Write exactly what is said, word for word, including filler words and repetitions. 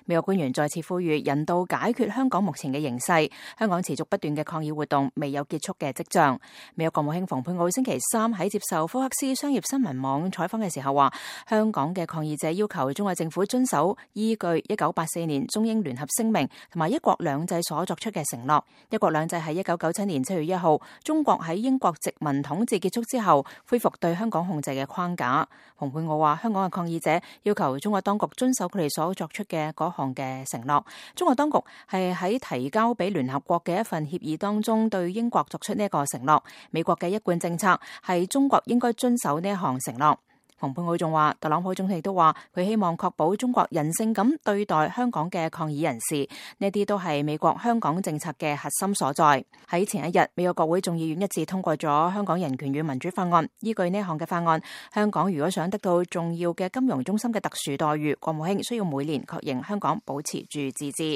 美國官員再次呼籲人道解決香港目前嘅形勢，香港持續不斷嘅抗議活動未有結束嘅跡象。美國國務卿蓬佩奧星期三喺接受福克斯商業新聞網採訪嘅時候話，香港嘅抗議者要求中國政府遵守依據一九八四年中英聯合聲明同埋一國兩制所作出嘅承諾。一國兩制係一九九七年七月一號中國喺英國殖民統治結束之後恢復對香港控制嘅框架。蓬佩奧話，香港嘅抗議者要求中國當局遵守佢哋所作出嘅嗰項嘅承諾。中國當局係喺提交俾聯合國嘅一份協議當中對英國作出呢一個承諾。美國嘅一貫政策係中國應該遵守呢一項承諾。蓬佩奧仲話，特朗普總統亦都話佢希望確保中國人性咁對待香港嘅抗議人士，呢啲都係美國香港政策嘅核心所在。喺前一日，美國國會眾議院一致通過咗香港人權與民主法案。依據呢項嘅法案，香港如果想得到重要嘅金融中心嘅特殊待遇，國務卿需要每年確認香港保持住自治。